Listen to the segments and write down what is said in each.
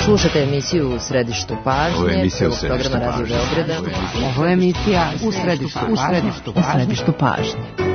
Slušate emisiju U središtu pažnje, programa Radio Beograda. Ovo je emisija U središtu pažnje.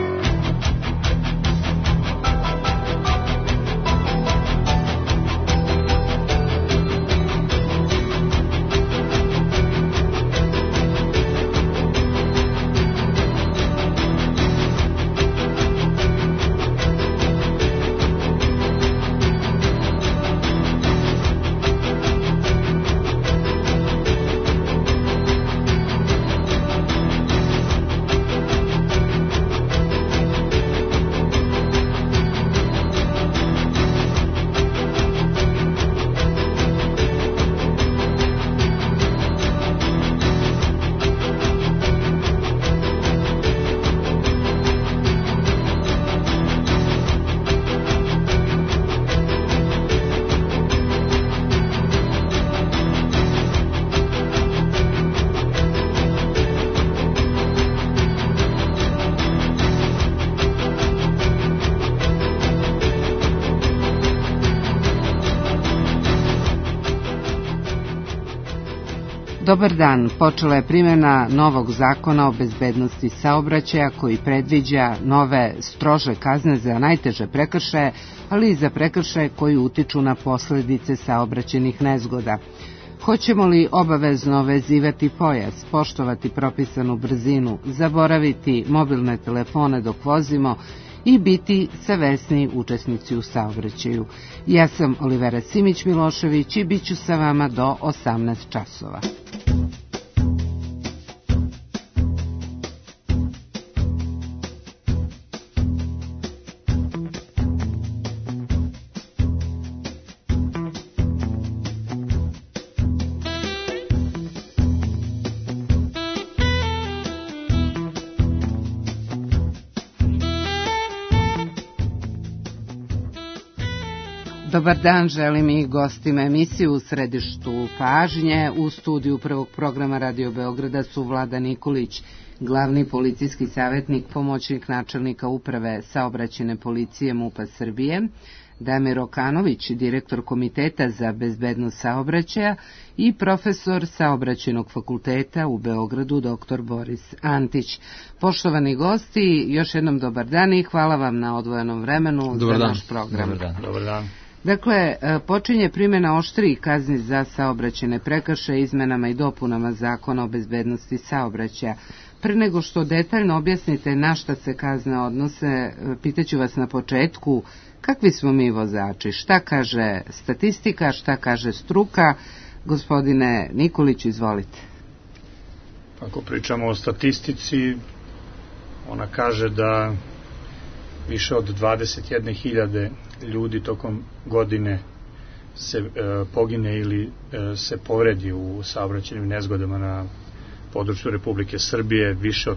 Dobar dan, počela je primjena novog zakona o bezbednosti saobraćaja koji predviđa nove strože kazne za najteže prekršaje, ali i za prekršaje koji utiču na posledice saobraćajnih nezgoda. Hoćemo li obavezno vezivati pojas, poštovati propisanu brzinu, zaboraviti mobilne telefone dok vozimo i biti savesni učesnici u saobraćaju? Ja sam Olivera Simić-Milošević i bit ću sa vama do 18 časova. Dobar dan, želim i gostima emisiju U središtu pažnje. U studiju prvog programa Radio Beograda su Vlada Nikolić, glavni policijski savjetnik, pomoćnik načelnika uprave saobraćajne policije MUP-a Srbije, Damir Okanović, direktor Komiteta za bezbednost saobraćaja i profesor Saobraćajnog fakulteta u Beogradu, dr. Boris Antić. Poštovani gosti, još jednom dobar dan i hvala vam na odvojenom vremenu za naš program. Dobar dan. Dakle, počinje primjena oštrijih kazni za saobraćajne prekršaje izmenama i dopunama Zakona o bezbednosti saobraćaja. Pre nego što detaljno objasnite na šta se kazne odnose, pitaću vas na početku, kakvi smo mi vozači? Šta kaže statistika, šta kaže struka? Gospodine Nikolić, izvolite. Ako pričamo o statistici, ona kaže da više od 21.000 ljudi tokom godine se pogine ili se povredi u saobraćajnim nezgodama na području Republike Srbije. Više od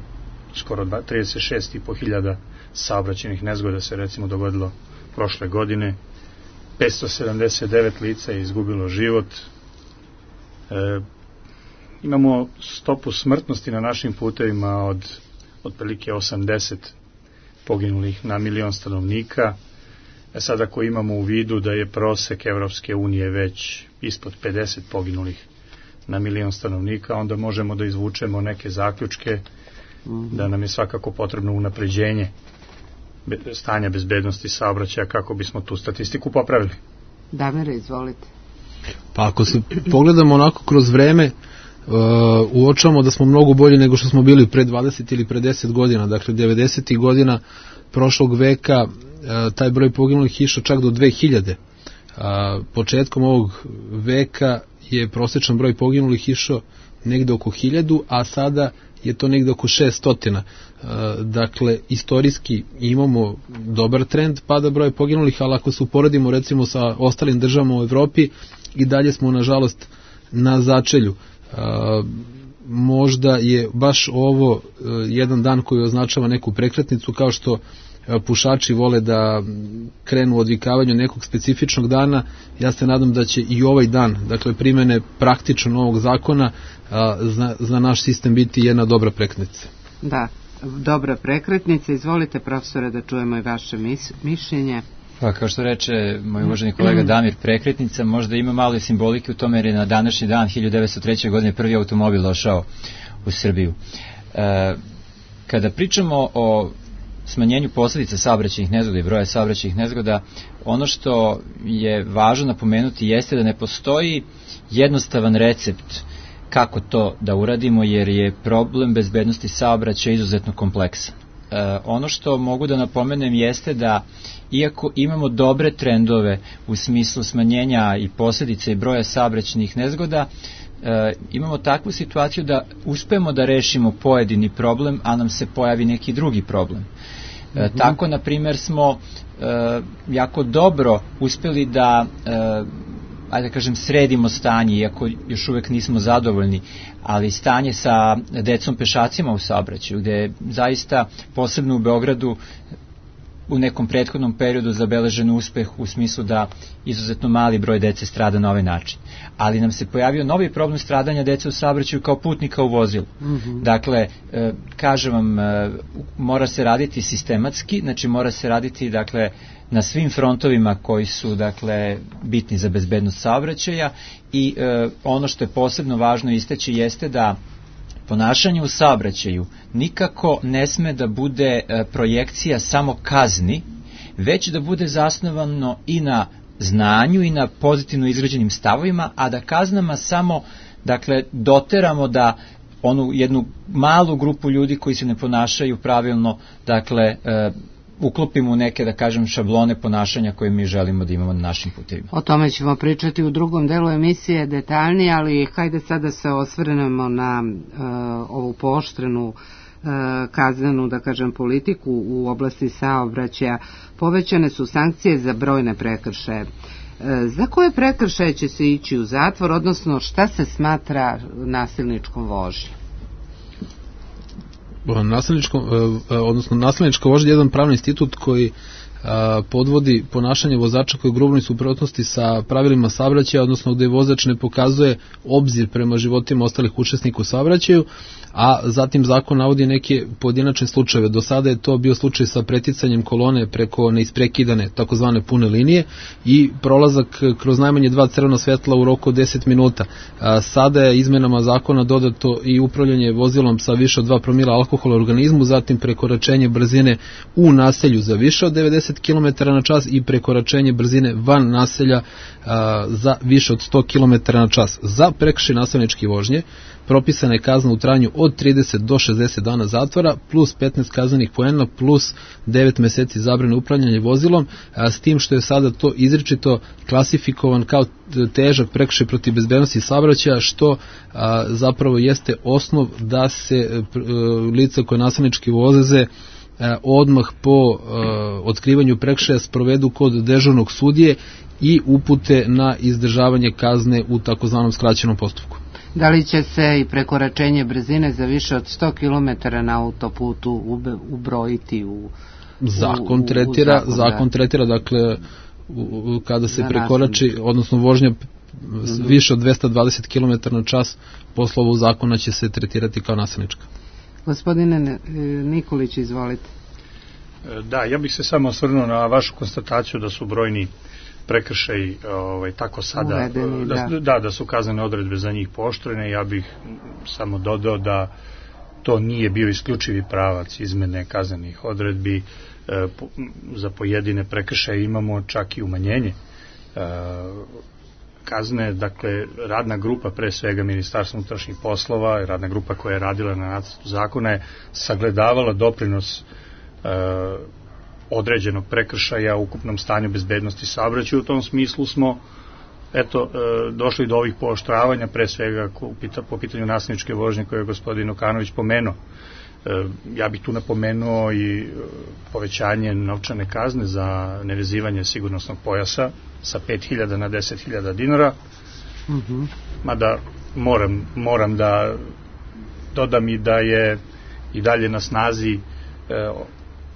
skoro 36.500 saobraćajnih nezgoda se recimo dogodilo prošle godine. 579 lica je izgubilo život. Imamo stopu smrtnosti na našim putevima od otprilike 80 poginulih na milion stanovnika. Sad ako imamo u vidu da je prosek Evropske unije već ispod 50 poginulih na milion stanovnika, onda možemo da izvučemo neke zaključke da nam je svakako potrebno unapređenje stanja bezbednosti saobraćaja kako bismo tu statistiku popravili. Damire, izvolite. Pa ako se pogledamo onako kroz vreme, uočavamo da smo mnogo bolji nego što smo bili pre 20 ili pre 10 godina. Dakle, 90. godina prošlog veka taj broj poginulih išao čak do 2000. Početkom ovog veka je prosječan broj poginulih išao negde oko 1000, a sada je to negde oko 600. Dakle, istorijski imamo dobar trend pada broja poginulih, ali ako se uporedimo recimo sa ostalim državama u Evropi, i dalje smo nažalost na začelju. Možda je baš ovo jedan dan koji označava neku prekretnicu, kao što pušači vole da krenu u odvikavanju nekog specifičnog dana. Ja se nadam da će i ovaj dan, dakle primene praktično novog zakona, za naš sistem biti jedna dobra prekretnica. Da, dobra prekretnica. Izvolite, profesore, da čujemo i vaše mišljenje. Pa kao što reče moj uvaženi kolega Damir, prekretnica možda ima malo simbolike u tome jer je na današnji dan 1903. godine prvi automobil došao u Srbiju. Kada pričamo o smanjenju posljedica saobraćajnih nezgoda i broja saobraćajnih nezgoda, ono što je važno napomenuti jeste da ne postoji jednostavan recept kako to da uradimo, jer je problem bezbednosti saobraćaja izuzetno kompleksan. Ono što mogu da napomenem jeste da iako imamo dobre trendove u smislu smanjenja i posljedica i broja saobraćajnih nezgoda, imamo takvu situaciju da uspemo da rešimo pojedini problem, a nam se pojavi neki drugi problem. Tako, na primjer, smo jako dobro uspeli da ajde da kažem, sredimo stanje, iako još uvek nismo zadovoljni, ali stanje sa decom pešacima u saobraćaju, gde je zaista posebno u Beogradu u nekom prethodnom periodu zabeležen uspeh u smislu da izuzetno mali broj dece strada na ovaj način. Ali nam se pojavio novi problem stradanja dece u saobraćaju kao putnika u vozilu. Dakle, kažem vam, mora se raditi sistematski, znači mora se raditi, dakle, na svim frontovima koji su, dakle, bitni za bezbednost saobraćaja i ono što je posebno važno istaći jeste da ponašanje u saobraćaju nikako ne sme da bude projekcija samo kazni, već da bude zasnovano i na znanju i na pozitivno izgrađenim stavovima, a da kaznama samo, dakle, doteramo da onu jednu malu grupu ljudi koji se ne ponašaju pravilno, dakle, uklopimo u neke, da kažem, šablone ponašanja koje mi želimo da imamo na našim putevima. O tome ćemo pričati u drugom delu emisije detaljnije, ali hajde sada se osvrnemo na ovu pooštrenu kaznenu, da kažem, politiku u oblasti saobraćaja. Povećane su sankcije za brojne prekršaje. Za koje prekršaje će se ići u zatvor, odnosno šta se smatra nasilničkom vožnjom? Nasilnička vožnja je jedan pravni institut koji podvodi ponašanje vozača koji je u grubnoj suprotnosti sa pravilima saobraćaja, odnosno gde vozač ne pokazuje obzir prema životima ostalih učesnika u saobraćaju, a zatim zakon navodi neke pojedinačne slučajeve. Do sada je to bio slučaj sa preticanjem kolone preko neisprekidane takozvane pune linije i prolazak kroz najmanje 2 crvena svetla u roku od 10 minuta. Sada je izmenama zakona dodato i upravljanje vozilom sa više od 2 promila alkohola u organizmu, zatim prekoračenje brzine u naselju za više od 90 km na čas i prekoračenje brzine van naselja za više od 100 km na čas. Za prekršaj nasilničke vožnje propisana je kazna u trajanju od 30 do 60 dana zatvora plus 15 kaznenih poena plus 9 meseci zabrane upravljanja vozilom, s tim što je sada to izričito klasifikovan kao težak prekršaj protiv bezbednosti saobraćaja, što zapravo jeste osnov da se lica koje nasilnički voze odmah po otkrivanju prekršaja sprovedu kod dežurnog sudije i upute na izdržavanje kazne u takozvanom skraćenom postupku. Da li će se i prekoračenje brzine za više od 100 km na autoputu ubrojiti u zakon tretira, dakle, kada se prekorači, odnosno vožnja više od 220 km na čas, po slovu zakona će se tretirati kao nasilnička. Gospodine Nikolić, izvolite. Da, ja bih se samo osvrnuo na vašu konstataciju da su brojni prekršaji tako sada uvedeni, da su kaznene odredbe za njih pooštrene. Ja bih samo dodao da to nije bio isključivi pravac izmene kaznenih odredbi. Za pojedine prekršaje imamo čak i umanjenje kazne. Dakle, radna grupa, pre svega Ministarstva unutrašnjih poslova, radna grupa koja je radila na nacrtu zakona, je sagledavala doprinos određenog prekršaja u ukupnom stanju bezbednosti saobraćaja. U tom smislu smo došli do ovih pooštravanja, pre svega po pitanju nasilničke vožnje koje je gospodin Okanović pomenuo. Ja bih tu napomenuo i povećanje novčane kazne za nevezivanje sigurnosnog pojasa sa 5.000 na 10.000 dinara. Mada moram da dodam i da je i dalje na snazi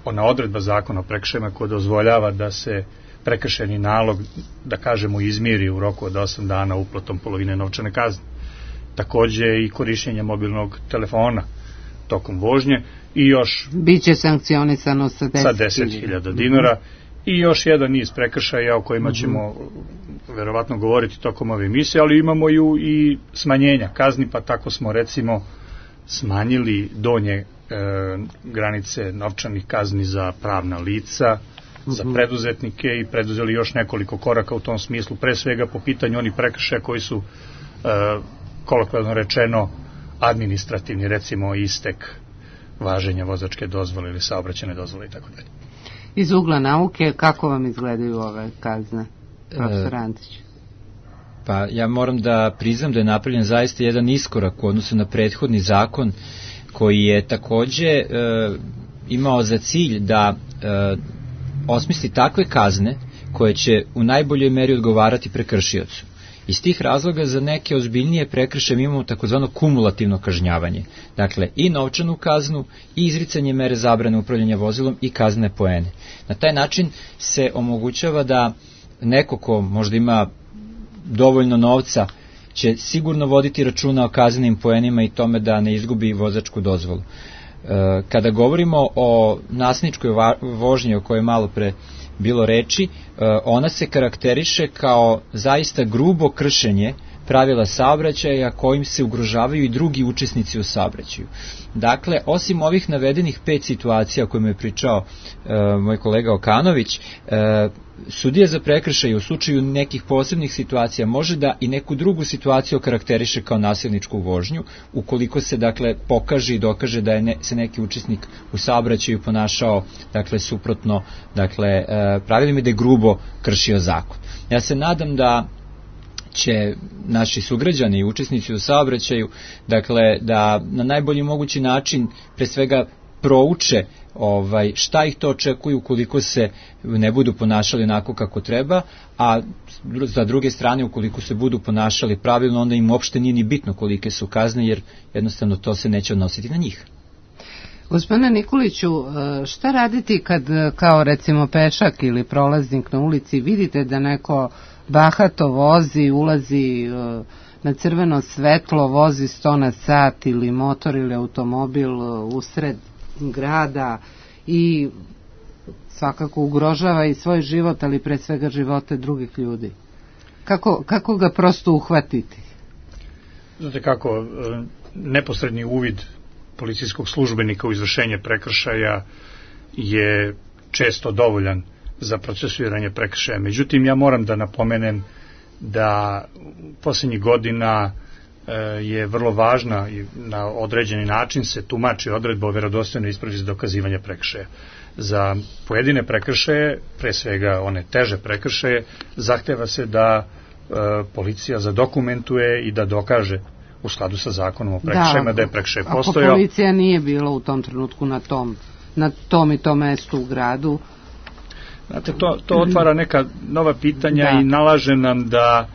ona odredba zakona o prekršajima koja dozvoljava da se prekršajni nalog, da kažemo, izmiri u roku od 8 dana uplatom polovine novčane kazne. Takođe i korišćenje mobilnog telefona tokom vožnje i još biće sankcionisano sa 10.000 dinara i još jedan niz prekršaja o kojima ćemo verovatno govoriti tokom ove emisije, ali imamo i smanjenja kazni, pa tako smo recimo smanjili donje granice novčanih kazni za pravna lica, za preduzetnike i preduzeli još nekoliko koraka u tom smislu, pre svega po pitanju onih prekršaja koji su kolokvijalno rečeno administrativni, recimo istek važenja vozačke dozvole ili saobraćajne dozvole i tako dalje. Iz ugla nauke, kako vam izgledaju ove kazne, profesor Antić? Pa ja moram da priznam da je napravljen zaista jedan iskorak u odnosu na prethodni zakon koji je takođe imao za cilj da osmisli takve kazne koje će u najboljoj meri odgovarati prekršiocu. Iz tih razloga za neke ozbiljnije prekršaje imamo takozvano kumulativno kažnjavanje. Dakle, i novčanu kaznu, i izricanje mere zabrane upravljanja vozilom i kazne poene. Na taj način se omogućava da neko ko možda ima dovoljno novca će sigurno voditi računa o kaznenim poenima i tome da ne izgubi vozačku dozvolu. Kada govorimo o nasilničkoj vožnji o kojoj je malo pre bilo reči, ona se karakteriše kao zaista grubo kršenje pravila saobraćaja kojim se ugrožavaju i drugi učesnici u saobraćaju. Dakle, osim ovih navedenih 5 situacija o kojima je pričao moj kolega Okanović, sudija za prekršaj u slučaju nekih posebnih situacija može da i neku drugu situaciju karakteriše kao nasilničku vožnju, ukoliko se dakle pokaže i dokaže da je se neki učesnik u saobraćaju ponašao dakle suprotno dakle pravilima, da je grubo kršio zakon. Ja se nadam da će naši sugrađani i učesnici u saobraćaju dakle da na najbolji mogući način pre svega prouče šta ih to očekuju ukoliko se ne budu ponašali onako kako treba, a za druge strane ukoliko se budu ponašali pravilno, onda im uopšte nije ni bitno kolike su kazne, jer jednostavno to se neće odnositi na njih. Gospodine Nikoliću, šta raditi kad kao recimo pešak ili prolaznik na ulici vidite da neko bahato vozi, ulazi na crveno svetlo, vozi 100 na sat ili motor ili automobil usred grada i svakako ugrožava i svoj život, ali pre svega živote drugih ljudi? Kako ga prosto uhvatiti? Znate kako, neposredni uvid policijskog službenika u izvršenje prekršaja je često dovoljan za procesuiranje prekršaja. Međutim, ja moram da napomenem da poslednjih godina je vrlo važna i na određeni način se tumači odredba o verodostojnoj ispravi za dokazivanje prekršaja. Za pojedine prekršaje, pre svega one teže prekršaje, zahteva se da policija zadokumentuje i da dokaže u skladu sa zakonom o prekršajima da je prekršaj postojao. Ako policija nije bila u tom trenutku na tom i tom mestu u gradu. Znate, to otvara neka nova pitanja i nalaže nam da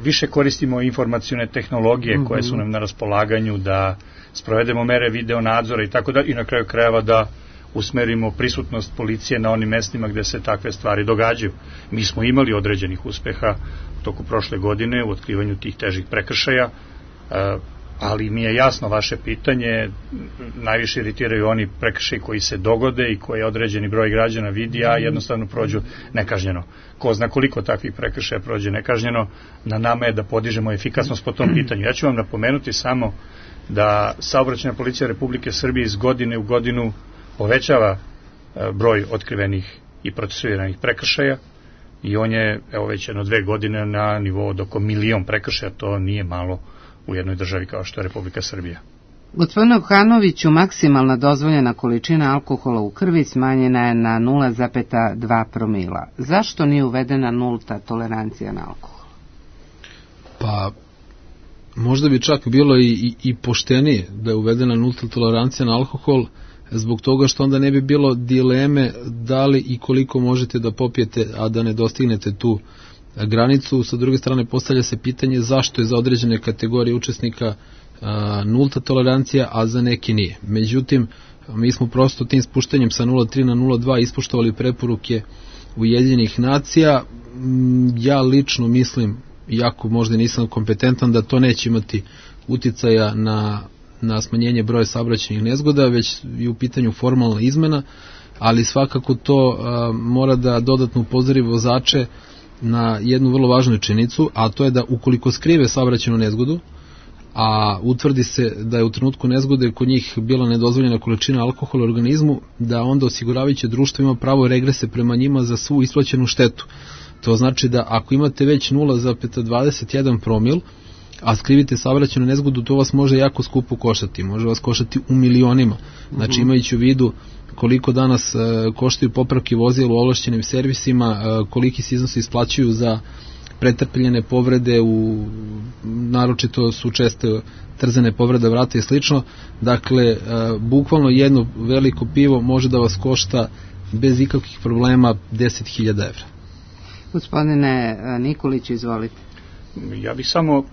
više koristimo informacione tehnologije koje su nam na raspolaganju, da sprovedemo mere video nadzora i tako da, i na kraju krajeva da usmerimo prisutnost policije na onim mestima gde se takve stvari događaju. Mi smo imali određenih uspeha toku prošle godine u otkrivanju tih težih prekršaja, ali mi je jasno vaše pitanje, najviše iritiraju oni prekršaji koji se dogode i koje određeni broj građana vidi, a jednostavno prođu nekažnjeno. Ko zna koliko takvih prekršaja prođe nekažnjeno, na nama je da podižemo efikasnost po tom pitanju. Ja ću vam napomenuti samo da Saobraćajna policija Republike Srbije iz godine u godinu povećava broj otkrivenih i procesuiranih prekršaja i on je, evo već 2 godine na nivou od oko 1.000.000 prekršaja, to nije malo u jednoj državi kao što je Republika Srbija. Gospodine Okanoviću, maksimalna dozvoljena količina alkohola u krvi smanjena je na 0,2 promila. Zašto nije uvedena nulta tolerancija na alkohol? Pa, možda bi čak bilo i poštenije da je uvedena nulta tolerancija na alkohol, zbog toga što onda ne bi bilo dileme da li i koliko možete da popijete, a da ne dostignete tu granicu. Sa druge strane, postavlja se pitanje zašto je za određene kategorije učesnika nulta tolerancija, a za neki nije. Međutim, mi smo prosto tim spuštanjem sa 0,3 na 0,2 ispoštovali preporuke Ujedinjenih nacija. Ja lično mislim, iako možda nisam kompetentan, da to neće imati uticaja na smanjenje broja saobraćajnih nezgoda, već i u pitanju formalna izmena. ali svakako to mora da dodatno upozori vozače na jednu vrlo važnu činjenicu, a to je da ukoliko skrive saobraćajnu nezgodu, a utvrdi se da je u trenutku nezgode kod njih bila nedozvoljena količina alkohola u organizmu, da onda osiguravajuće društvo ima pravo regrese prema njima za svu isplaćenu štetu. To znači da ako imate već 0,21 promil, a skrivite saobraćajnu nezgodu, to vas može jako skupo koštati. Može vas koštati u milionima. Znači imajući u vidu koliko danas koštaju popravke vozila u ovlašćenim servisima, koliki se iznosi isplaćuju za pretrpljene povrede, naročito su česte trzane povrede vrata i slično. Dakle, bukvalno jedno veliko pivo može da vas košta bez ikakvih problema 10.000 evra. Gospodine Nikolić, izvolite. Ja bih samo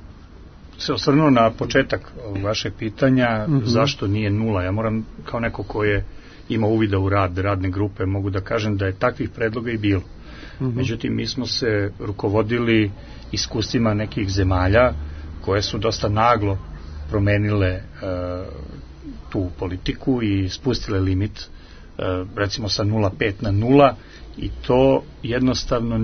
se osvrnuo na početak vašeg pitanja, zašto nije nula. Ja moram, kao neko ko je imao uvida u rad radne grupe, mogu da kažem da je takvih predloga i bilo. Međutim, mi smo se rukovodili iskustvima nekih zemalja koje su dosta naglo promenile tu politiku i spustile limit, recimo sa 0,5 na 0, i to jednostavno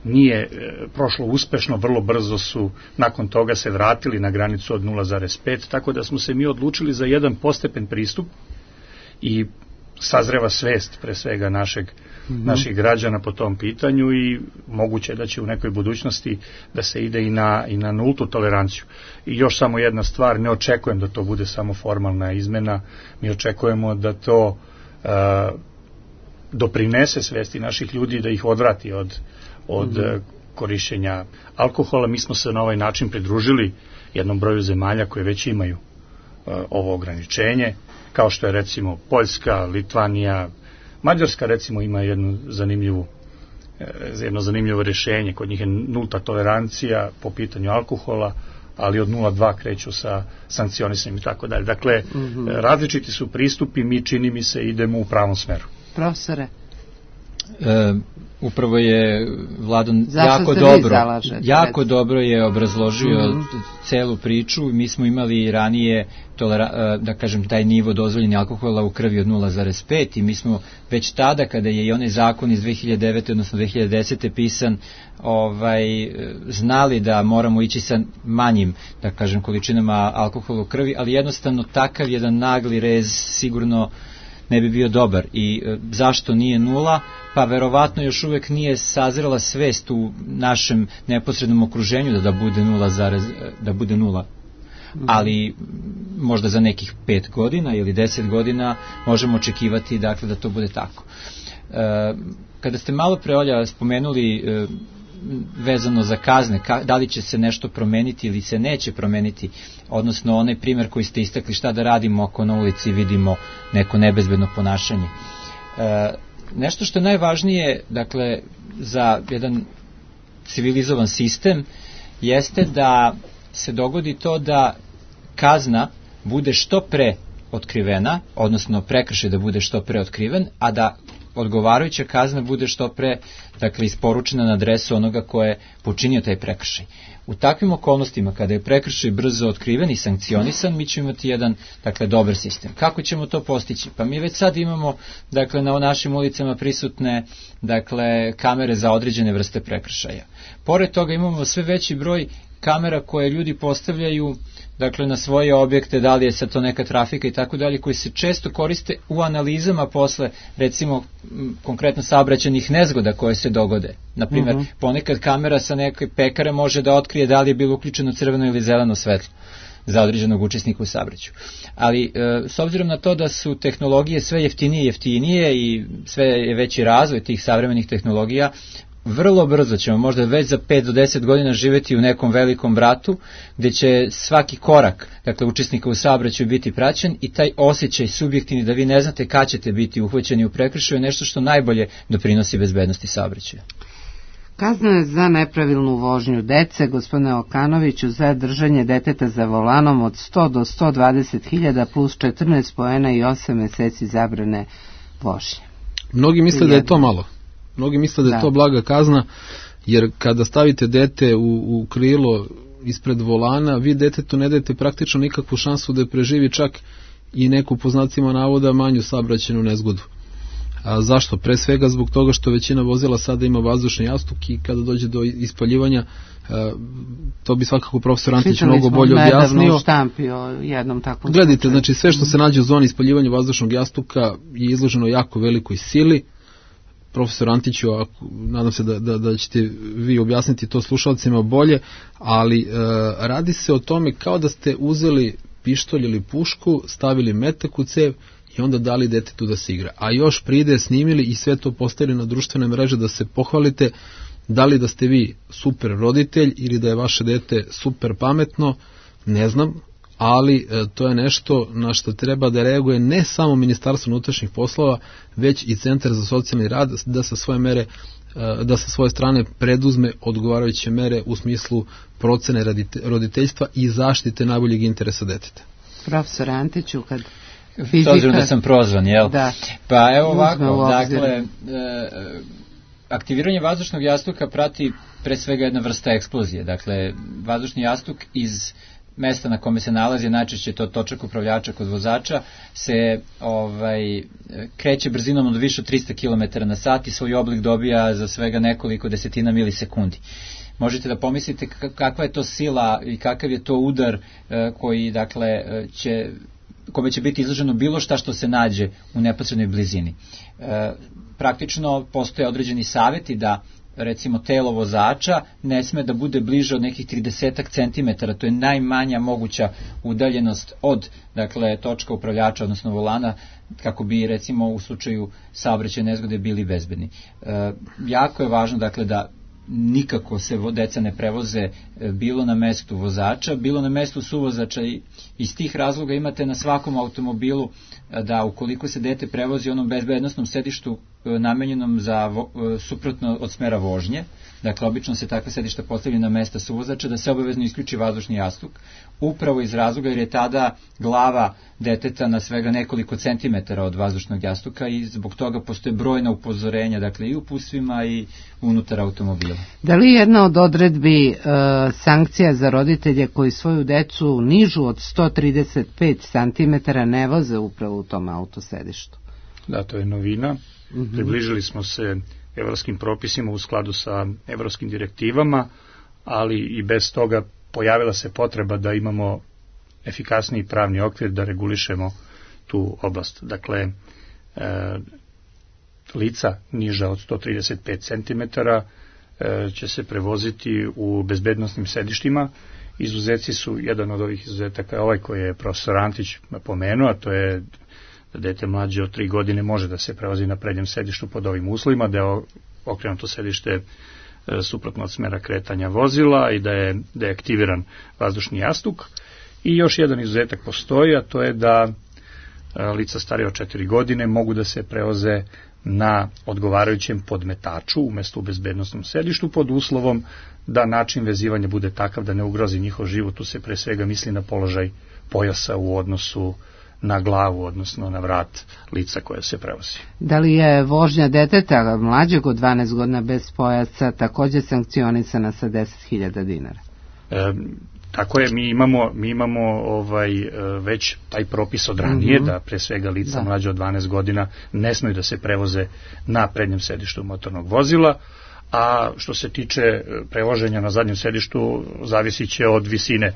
nije prošlo uspešno. Vrlo brzo su nakon toga se vratili na granicu od 0,5, tako da smo se mi odlučili za jedan postepen pristup i sazreva svest pre svega naših građana po tom pitanju i moguće da će u nekoj budućnosti da se ide i na nultu toleranciju. I još samo jedna stvar, ne očekujem da to bude samo formalna izmena, mi očekujemo da to doprinese svesti naših ljudi, da ih odvrati od korišćenja alkohola. Mi smo se na ovaj način pridružili jednom broju zemalja koje već imaju ovo ograničenje, kao što je recimo Poljska, Litvanija, Mađarska recimo ima jedno zanimljivo rješenje. Kod njih je nulta tolerancija po pitanju alkohola, ali od 0,2 kreću sa sankcionisanjem i tako dalje. Dakle, različiti su pristupi, mi čini mi se idemo u pravom smeru. Profesore? Upravo je Vladon jako dobro je obrazložio celu priču. Mi smo imali ranije da kažem taj nivo dozvoljeni alkohola u krvi od 0,5 i mi smo već tada, kada je i onaj zakon iz 2009. odnosno 2010. pisan, znali da moramo ići sa manjim, da kažem, količinama alkohola u krvi, ali jednostavno takav jedan nagli rez sigurno ne bi bio dobar. I zašto nije nula? Pa verovatno još uvek nije sazrela svest u našem neposrednom okruženju da bude nula. Ali možda za nekih 5 godina ili 10 godina možemo očekivati, dakle, da to bude tako. Kada ste malo pre, Olja, spomenuli vezano za kazne, da li će se nešto promeniti ili se neće promeniti, odnosno onaj primjer koji ste istakli, šta da radimo ako na ulici vidimo neko nebezbedno ponašanje. Nešto što je najvažnije, dakle, za jedan civilizovan sistem jeste da se dogodi to da kazna bude što pre otkrivena, odnosno prekršaj da bude što pre otkriven, a da odgovarajuća kazna bude što pre, dakle, isporučena na adresu onoga ko je počinio taj prekršaj. U takvim okolnostima, kada je prekršaj brzo otkriven i sankcionisan, mi ćemo imati jedan, dakle, dobar sistem. Kako ćemo to postići? Pa mi već sad imamo, dakle, na našim ulicama prisutne, dakle, kamere za određene vrste prekršaja. Pored toga imamo sve veći broj kamera koje ljudi postavljaju, dakle, na svoje objekte, da li je sad to neka trafika i tako dalje, koji se često koriste u analizama posle, recimo, konkretno saobraćajnih nezgoda koje se dogode. Naprimjer, ponekad kamera sa neke pekare može da otkrije da li je bilo uključeno crveno ili zeleno svetlo za određenog učesnika u saobraćaju. Ali, s obzirom na to da su tehnologije sve jeftinije i sve je veći razvoj tih savremenih tehnologija, vrlo brzo ćemo, možda već za 5 do 10 godina, živjeti u nekom velikom bratu gdje će svaki korak, dakle, učesnika u saobraćaju biti praćen i taj osjećaj subjektivni da vi ne znate kad ćete biti uhvaćeni u prekršaju je nešto što najbolje doprinosi bezbednosti saobraćaja. Kazna za nepravilnu vožnju dece, gospodine Okanoviću, za držanje deteta za volanom od 100 do 120.000 plus 14 poena i 8 meseci zabrane vožnje. Mnogi misle da je to malo. Mnogi misle da je to blaga kazna, jer kada stavite dete u krilo ispred volana, vi detetu ne dajete praktično nikakvu šansu da preživi čak i neku, po znacima navoda, manju saobraćajnu nezgodu. Zašto? Pre svega zbog toga što većina vozila sada ima vazdušni jastuk i kada dođe do ispaljivanja, to bi svakako profesor Antić mnogo bolje objasnio. Jednom takvom Gledajte, slučaju. znači sve što se nađe u zoni ispaljivanja vazdušnog jastuka je izloženo jako velikoj sili. Profesor Antiću, nadam se da ćete vi objasniti to slušalcima bolje, ali radi se o tome kao da ste uzeli pištolj ili pušku, stavili metak u cev i onda dali detetu da se igra. A još pride, snimili i sve to postavili na društvene mreže da se pohvalite, da li da ste vi super roditelj ili da je vaše dete super pametno, ne znam, ali to je nešto na što treba da reaguje ne samo Ministarstvo unutrašnjih poslova, već i Centar za socijalni rad da sa svoje strane preduzme odgovarajuće mere u smislu procene roditeljstva i zaštite najboljeg interesa deteta. Profesor Antiću, kad s obzirom da sam prozvan, jel? Da. Pa evo ovako, dakle, aktiviranje vazdušnog jastuka prati pre svega jedna vrsta eksplozije. Dakle, vazdušni jastuk iz mesta na kome se nalazi, najčešće to točak upravljača kod vozača, se kreće brzinom od više od 300 km na sat i svoj oblik dobija za svega nekoliko desetina milisekundi. Možete da pomislite kakva je to sila i kakav je to udar koji, dakle, kome će biti izloženo bilo šta što se nađe u neposrednoj blizini. Praktično postoje određeni savjeti da recimo telo vozača ne sme da bude bliže od nekih 30 cm, to je najmanja moguća udaljenost od, dakle, točka upravljača, odnosno volana, kako bi recimo u slučaju saobraćajne nezgode bili bezbedni. Jako je važno, dakle, da nikako se deca ne prevoze bilo na mestu vozača, bilo na mestu suvozača, i iz tih razloga imate na svakom automobilu da ukoliko se dete prevozi u onom bezbednosnom sedištu namenjenom za suprotno od smera vožnje, dakle obično se takve sedišta postavljaju na mesta suvozača, da se obavezno isključi vazdušni jastuk, upravo iz razloga jer je tada glava deteta na svega nekoliko centimetara od vazdušnog jastuka i zbog toga postoje brojna upozorenja, dakle i u pustvima i unutar automobila. Da li jedna od odredbi sankcija za roditelje koji svoju decu nižu od 135 cm ne voze upravo u tom autosedištu? Da, to je novina. Približili smo se evropskim propisima u skladu sa evropskim direktivama, ali i bez toga pojavila se potreba da imamo efikasniji pravni okvir da regulišemo tu oblast. Dakle, lica niža od 135 cm će se prevoziti u bezbednosnim sedištima. Izuzeci su, jedan od ovih izuzetaka, ovaj koji je profesor Antić pomenuo, a to je da dete mlađe od 3 godine može da se prevozi na prednjem sedištu pod ovim uslovima, da je okrenuto sedište suprotno od smera kretanja vozila i da je aktiviran vazdušni jastuk. I još jedan izuzetak postoji, a to je da lica starije od 4 godine mogu da se prevoze na odgovarajućem podmetaču umesto u bezbednosnom sedištu pod uslovom da način vezivanja bude takav da ne ugrozi njihov život. Tu se pre svega misli na položaj pojasa u odnosu na glavu, odnosno na vrat lica koje se prevozi. Da li je vožnja deteta mlađeg od 12 godina bez pojasa također sankcionisana sa 10.000 dinara? Tako je, mi imamo već taj propis od ranije, da pre svega lica mlađe od 12 godina ne smeju da se prevoze na prednjem sedištu motornog vozila, a što se tiče prevoženja na zadnjem sedištu, zavisit će od visine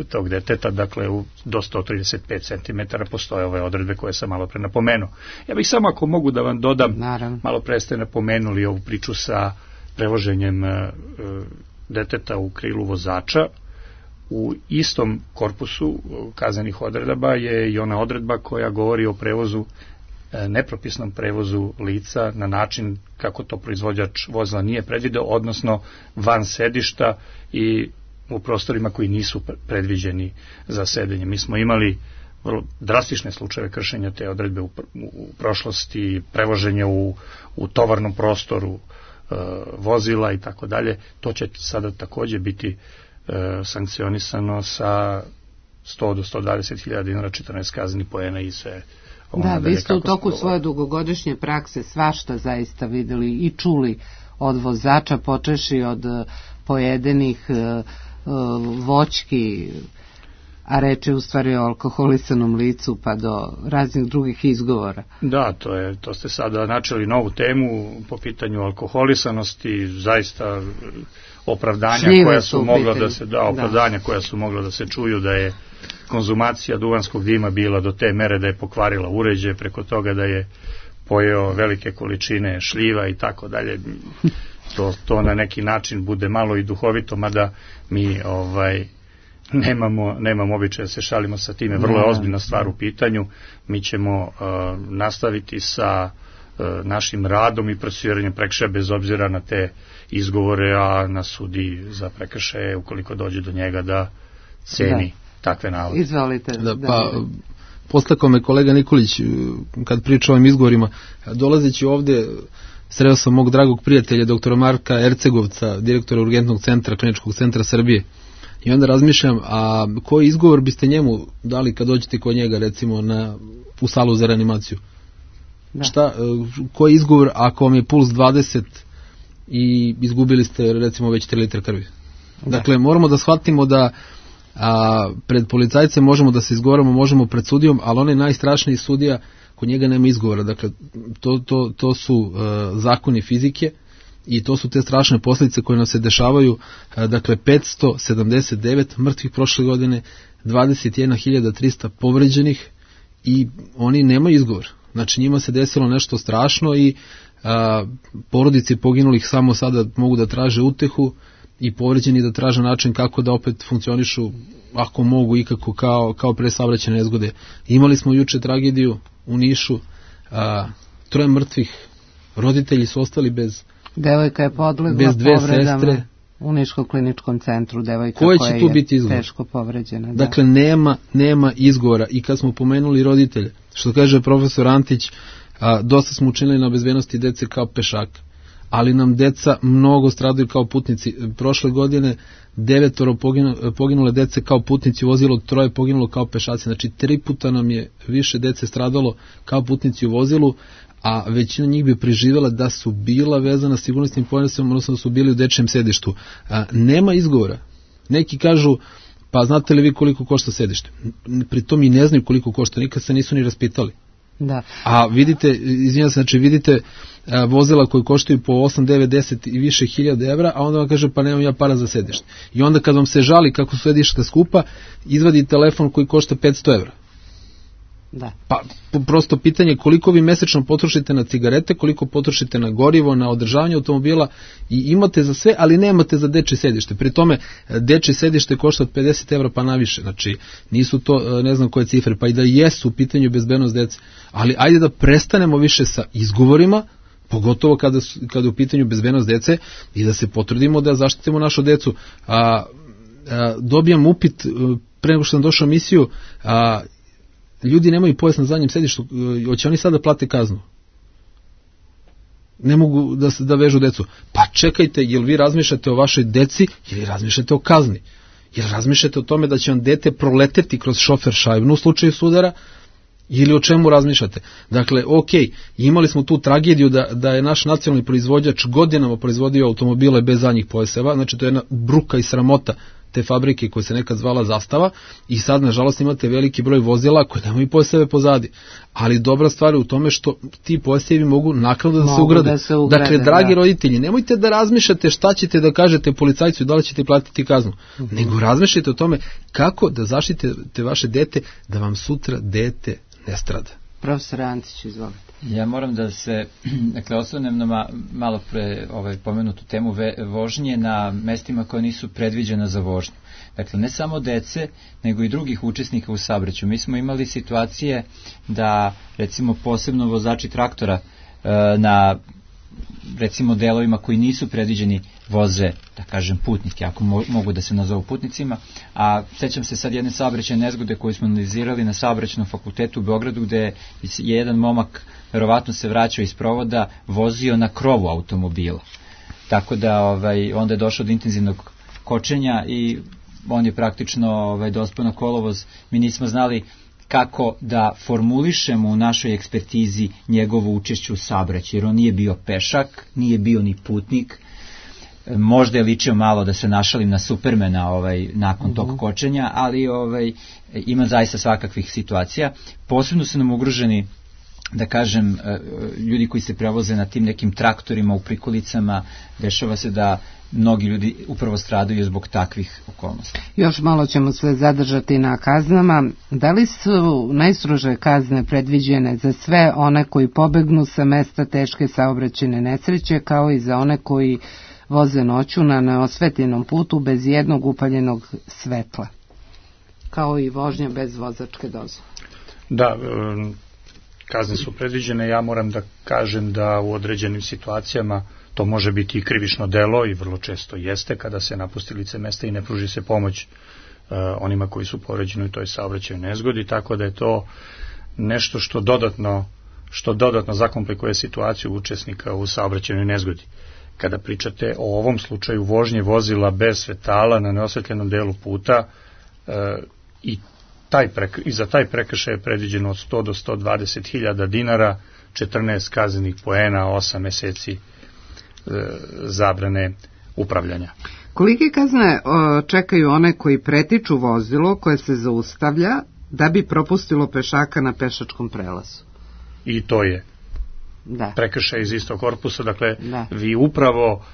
tog deteta, dakle do 135 cm postoje ove odredbe koje sam malo pre napomenuo. Ja bih samo, ako mogu da vam dodam, malo pre ste napomenuli ovu priču sa prevoženjem deteta u krilu vozača. U istom korpusu kaznenih odredaba je i ona odredba koja govori o prevozu, nepropisnom prevozu lica na način kako to proizvođač vozila nije predvideo, odnosno van sedišta i u prostorima koji nisu predviđeni za sedenje. Mi smo imali vrlo drastične slučajeve kršenja te odredbe u prošlosti, prevoženje u tovarnom prostoru vozila i tako dalje. To će sada takođe biti sankcionisano sa 100 do 120.000 dinara, 14 kaznenih poena i sve. Da, vi ste u toku svoje dugogodišnje prakse svašta zaista videli i čuli od vozača, počeši od pojedenih voćki a reč je u stvari o alkoholisanom licu pa do raznih drugih izgovora. Da, to ste sada načeli novu temu po pitanju alkoholisanosti, zaista opravdanja koja su mogla da se koja su mogla da se čuju da je konzumacija duvanskog dima bila do te mere da je pokvarila uređaj, preko toga da je pojeo velike količine šljiva i tako dalje. To na neki način bude malo i duhovito, mada mi nemamo običaj da se šalimo sa time, vrlo je ozbiljna stvar u pitanju. Mi ćemo nastaviti sa našim radom i procesuiranjem prekršaja bez obzira na te izgovore, a na sudi za prekršaje ukoliko dođe do njega da ceni takve navode. Izvolite. Pa postakao me kolega Nikolić kad priča o ovim izgovorima, dolazeći ovde sreo sam mog dragog prijatelja doktora Marka Ercegovca, direktora Urgentnog centra Kliničkog centra Srbije, i onda razmišljam, a koji izgovor biste njemu dali kad dođete kod njega, recimo u salu za reanimaciju? Koji izgovor ako vam je puls 20 i izgubili ste recimo već 3 litra krvi? Dakle, moramo da shvatimo da pred policajcem možemo da se izgovaramo, možemo pred sudijom, ali onaj najstrašniji sudija, kod njega nema izgovora. Dakle, to su zakoni fizike i to su te strašne posljedice koje nam se dešavaju. Dakle, 579 mrtvih prošle godine, 21.300 povređenih i oni nemaju izgovor. Znači, njima se desilo nešto strašno i porodice poginulih samo sada mogu da traže utehu i povređeni da traže način kako da opet funkcionišu, ako mogu ikako, kao pre saobraćajne nezgode. Imali smo juče tragediju u Nišu, 3 mrtvih, roditelji su ostali bez devojka je podlegla bez 2 povredama sestre u Niškom kliničkom centru, devojka koja je teško povređena. Dakle, nema izgovora. I kad smo pomenuli roditelje, što kaže profesor Antić, dosta smo učinili na bezbednosti dece kao pešaka, ali nam deca mnogo stradaju kao putnici. Prošle godine 9 poginule dece kao putnici u vozilu, 3 poginulo kao pešaci. Znači 3 puta nam je više dece stradalo kao putnici u vozilu, a većina njih bi preživjela da su bila vezana sigurnosnim pojasom, odnosno da su bili u dečijem sedištu. Nema izgovora. Neki kažu, pa znate li vi koliko košta sedište? Pritom i ne znaju koliko košta, nikad se nisu ni raspitali. Da. A vidite, vidite vozila koji koštaju po 8, 9, 10 i više hiljada evra, a onda vam kaže pa nemam ja para za sedište. I onda kad vam se žali kako su sedišta skupa, izvadi telefon koji košta 500 evra. Da. Pa prosto pitanje koliko vi mesečno potrošite na cigarete, koliko potrošite na gorivo, na održavanje automobila i imate za sve, ali nemate za dečje sedište. Pri tome dečje sedište košta od 50 evra pa naviše, znači nisu to ne znam koje cifre, pa i da jesu u pitanju bezbednost dece, ali ajde da prestanemo više sa izgovorima, pogotovo kada je u pitanju bezbednost dece i da se potrudimo da zaštitimo našu decu. Dobijam upit pre nego što sam došao u emisiju, ljudi nemaju pojas na zadnjem sedištu, hoće oni sada plate kaznu? Ne mogu da vežu decu. Pa čekajte, jel vi razmišljate o vašoj deci ili razmišljate o kazni? Jel razmišljate o tome da će vam dete proleteti kroz šofer šajbnu u slučaju sudara ili o čemu razmišljate? Dakle, imali smo tu tragediju da je naš nacionalni proizvođač godinama proizvodio automobile bez zadnjih pojaseva, znači to je jedna bruka i sramota te fabrike koja se nekad zvala Zastava i sad nažalost imate veliki broj vozila koje nemaju pojaseve pozadi, ali dobra stvar je u tome što ti pojasevi mogu naknadno da se ugrade. Dakle, dragi roditelji, nemojte da razmišljate šta ćete da kažete policajcu i da li ćete platiti kaznu, nego razmišljate o tome kako da zaštitite vaše dete da vam sutra dete ne strada. Profesor Antić, izvolite. Ja moram da se, osvrnem na malo pre pomenutu temu vožnje na mestima koja nisu predviđena za vožnju. Dakle, ne samo dece, nego i drugih učesnika u saobraćaju. Mi smo imali situacije da, recimo, posebno vozači traktora na, recimo, delovima koji nisu predviđeni voze, da kažem, putnike, ako mogu da se nazovu putnicima, a sećam se sad jedne saobraćajne nezgode koju smo analizirali na Saobraćajnom fakultetu u Beogradu, gde je jedan momak, verovatno se vraćao iz provoda, vozio na krovu automobila. Tako da onda je došlo do intenzivnog kočenja i on je praktično dospeo na kolovoz. Mi nismo znali kako da formulišemo u našoj ekspertizi njegovo učešće u saobraćaju, jer on nije bio pešak, nije bio ni putnik. možda je ličio malo, da se našalim, na Supermana nakon tog kočenja, ali ima zaista svakakvih situacija. Posebno su nam ugroženi, da kažem, ljudi koji se prevoze na tim nekim traktorima u prikolicama. Dešava se da mnogi ljudi upravo stradaju zbog takvih okolnosti. Još malo ćemo sve zadržati na kaznama. Da li su najstrože kazne predviđene za sve one koji pobegnu sa mesta teške saobraćajne nesreće, kao i za one koji voze noću na neosvetljenom putu bez jednog upaljenog svetla, kao i vožnja bez vozačke dozvole? Da, kazne su predviđene. Ja moram da kažem da u određenim situacijama to može biti i krivično delo, i vrlo često jeste, kada se napusti lice mesta i ne pruži se pomoć onima koji su povređeni u toj saobraćajnoj nezgodi, tako da je to nešto što dodatno zakomplikuje situaciju učesnika u saobraćajnoj nezgodi. Kada pričate o ovom slučaju vožnje vozila bez svetala na neosvetljenom delu puta, i za taj prekršaj je predviđeno od 100 do 120 hiljada dinara, 14 kaznenih poena, 8 meseci zabrane upravljanja. Kolike kazne čekaju one koji pretiču vozilo koje se zaustavlja da bi propustilo pešaka na pešačkom prelazu? I to je prekršaj iz istog korpusa. Dakle, vi upravo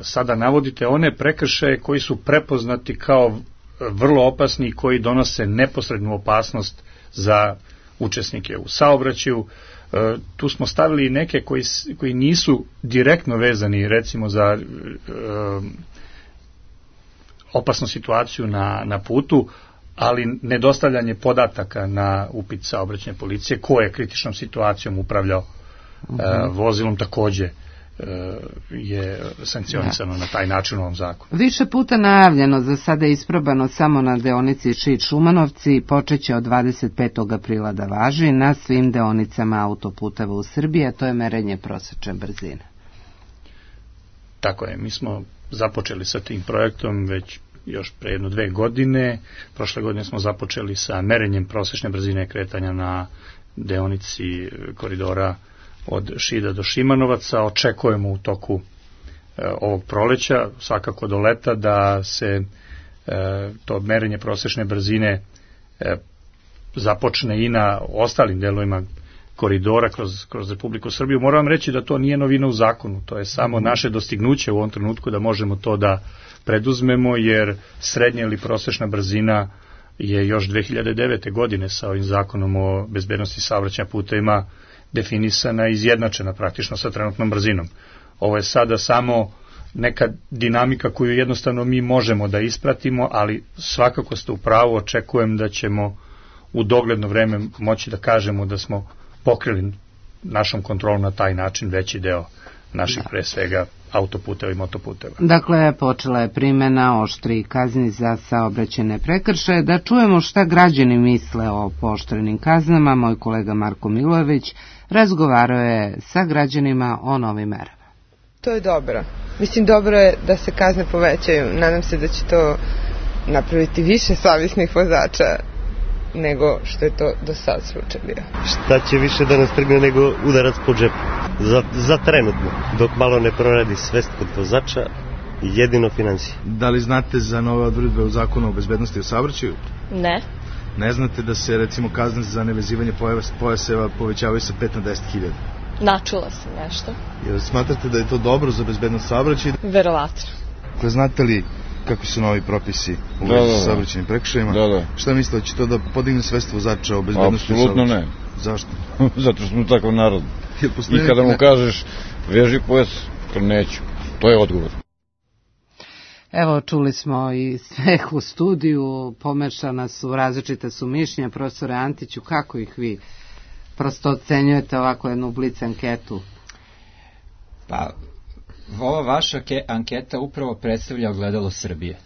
sada navodite one prekršaje koji su prepoznati kao vrlo opasni i koji donose neposrednu opasnost za učesnike u saobraćaju. Tu smo stavili neke koji nisu direktno vezani, recimo za opasnu situaciju na putu, ali nedostavljanje podataka na upit saobraćajne policije ko je kritičnom situacijom upravljao vozilom takođe je sankcionisano na taj način u ovom zakonu. Više puta najavljeno, za sada je isprobano samo na deonici Šid-Šumanovci, počeće od 25. aprila da važi na svim deonicama autoputeva u Srbiji, a to je merenje prosečne brzine. Tako je, mi smo započeli sa tim projektom već još pre 1-2 godine. Prošle godine smo započeli sa merenjem prosečne brzine kretanja na deonici koridora od Šida do Šimanovaca. Očekujemo u toku ovog proleća, svakako do leta, da se to merenje prosečne brzine započne i na ostalim delovima koridora kroz Republiku Srbiju. Moram vam reći da to nije novina u zakonu, to je samo naše dostignuće u ovom trenutku da možemo to da preduzmemo, jer srednja ili prosečna brzina je još 2009. godine sa ovim zakonom o bezbednosti saobraćaja putevima definisana i izjednačena praktično sa trenutnom brzinom. Ovo je sada samo neka dinamika koju jednostavno mi možemo da ispratimo, ali svakako ste u pravu, očekujem da ćemo u dogledno vreme moći da kažemo da smo pokrili našom kontrolom na taj način veći deo naših pre svega autoputeva i motoputeva. Dakle, počela je primjena oštrih kazni za saobraćajne prekršaje. Da čujemo šta građani misle o pooštrenim kaznama. Moj kolega Marko Milojević razgovarao je sa građanima o novim merama. To je dobro. Mislim, dobro je da se kazne povećaju. Nadam se da će to napraviti više savjesnih vozača nego što je to do sad slučaj bio. Šta će više da nas trgne nego udarac po džepu? Za trenutno, dok malo ne proradi svest kod vozača, jedino financije. Da li znate za nove odredbe u zakonu o bezbednosti u saobraćaju? Ne. Ne znate da se recimo kazne za nevezivanje pojaseva povećavaju sa 5 na 10.000? Načula sam nešto. Jel smatrate da je to dobro za bezbednost saobraćaja? Verovatno. Znate li kakvi su novi propisi u vezi sa saobraćajnim prekršajima? Da. Šta mislite, da će to da podigne svest vozača o bezbednosti? Apsolutno ne. Zašto? Zato što smo takav narod. I kada mu kažeš veži pojas, to neću. To je odgovor. Evo, čuli smo i smeh u studiju, pomešana su, različite su mišljenja. Profesore Antiću, kako ih vi prosto ocenjujete ovako jednu blic anketu? Pa, ova vaša anketa upravo predstavlja ogledalo Srbije.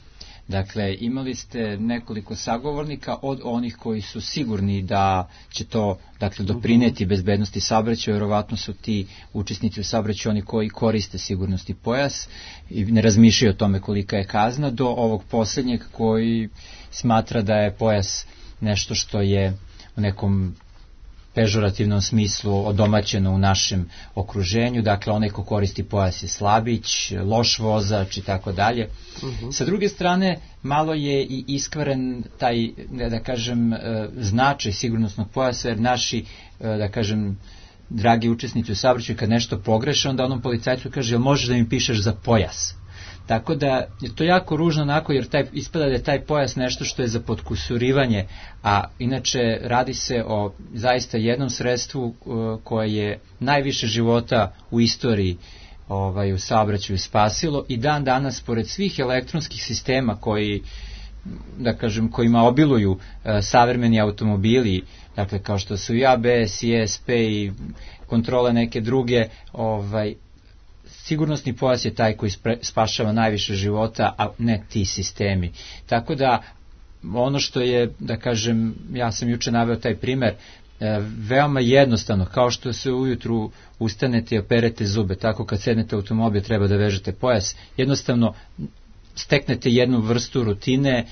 Dakle, imali ste nekoliko sagovornika od onih koji su sigurni da će to doprineti bezbednosti saobraćaja, verovatno su ti učesnici u saobraćaju oni koji koriste sigurnosti pojas i ne razmišljaju o tome kolika je kazna, do ovog posljednjeg koji smatra da je pojas nešto što je u nekom pežorativnom smislu odomaćeno u našem okruženju, dakle onaj ko koristi pojas je slabić, loš vozač i tako dalje. Sa druge strane, malo je i iskvaren taj, da kažem, značaj sigurnosnog pojasa, jer naši, da kažem, dragi učesnici u saobraćaju, kad nešto pogreše, onda onom policajcu kaže, jel možeš da mi pišeš za pojas? Tako da je to jako ružno onako, jer ispada da je taj pojas nešto što je za potkusurivanje, a inače radi se o zaista jednom sredstvu koje je najviše života u istoriji u saobraćaju spasilo i dan danas, pored svih elektronskih sistema koji, da kažem, kojima obiluju savremeni automobili, dakle kao što su i ABS, i ESP i kontrole neke druge, sigurnosni pojas je taj koji spašava najviše života, a ne ti sistemi. Tako da, ono što je, da kažem, ja sam juče naveo taj primer, veoma jednostavno, kao što se ujutru ustanete i operete zube, tako kad sednete u automobil treba da vežete pojas, jednostavno steknete jednu vrstu rutine,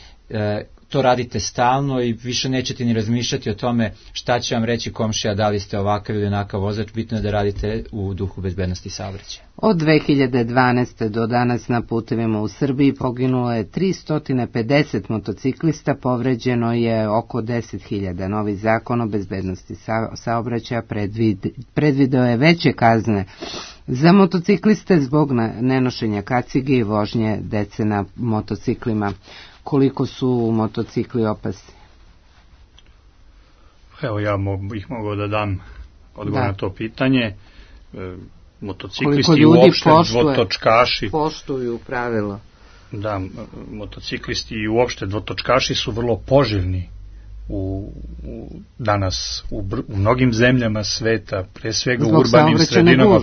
to radite stalno i više nećete ni razmišljati o tome šta će vam reći komšija, da li ste ovakav ili onakav vozač, bitno je da radite u duhu bezbednosti saobraćaja. Od 2012. do danas na putevima u Srbiji poginulo je 350 motociklista, povređeno je oko 10.000. Novi zakon o bezbednosti saobraćaja predvideo je veće kazne za motocikliste zbog nenošenja kacige i vožnje dece na motociklima. Koliko su motocikli opasni? Evo, ja bih mogao da dam odgovor na to pitanje. Motociklisti i uopšte dvotočkaši poštuju pravilo. Da, motociklisti i uopšte dvotočkaši su vrlo poželjni danas u mnogim zemljama sveta, pre svega u urbanim sredinama.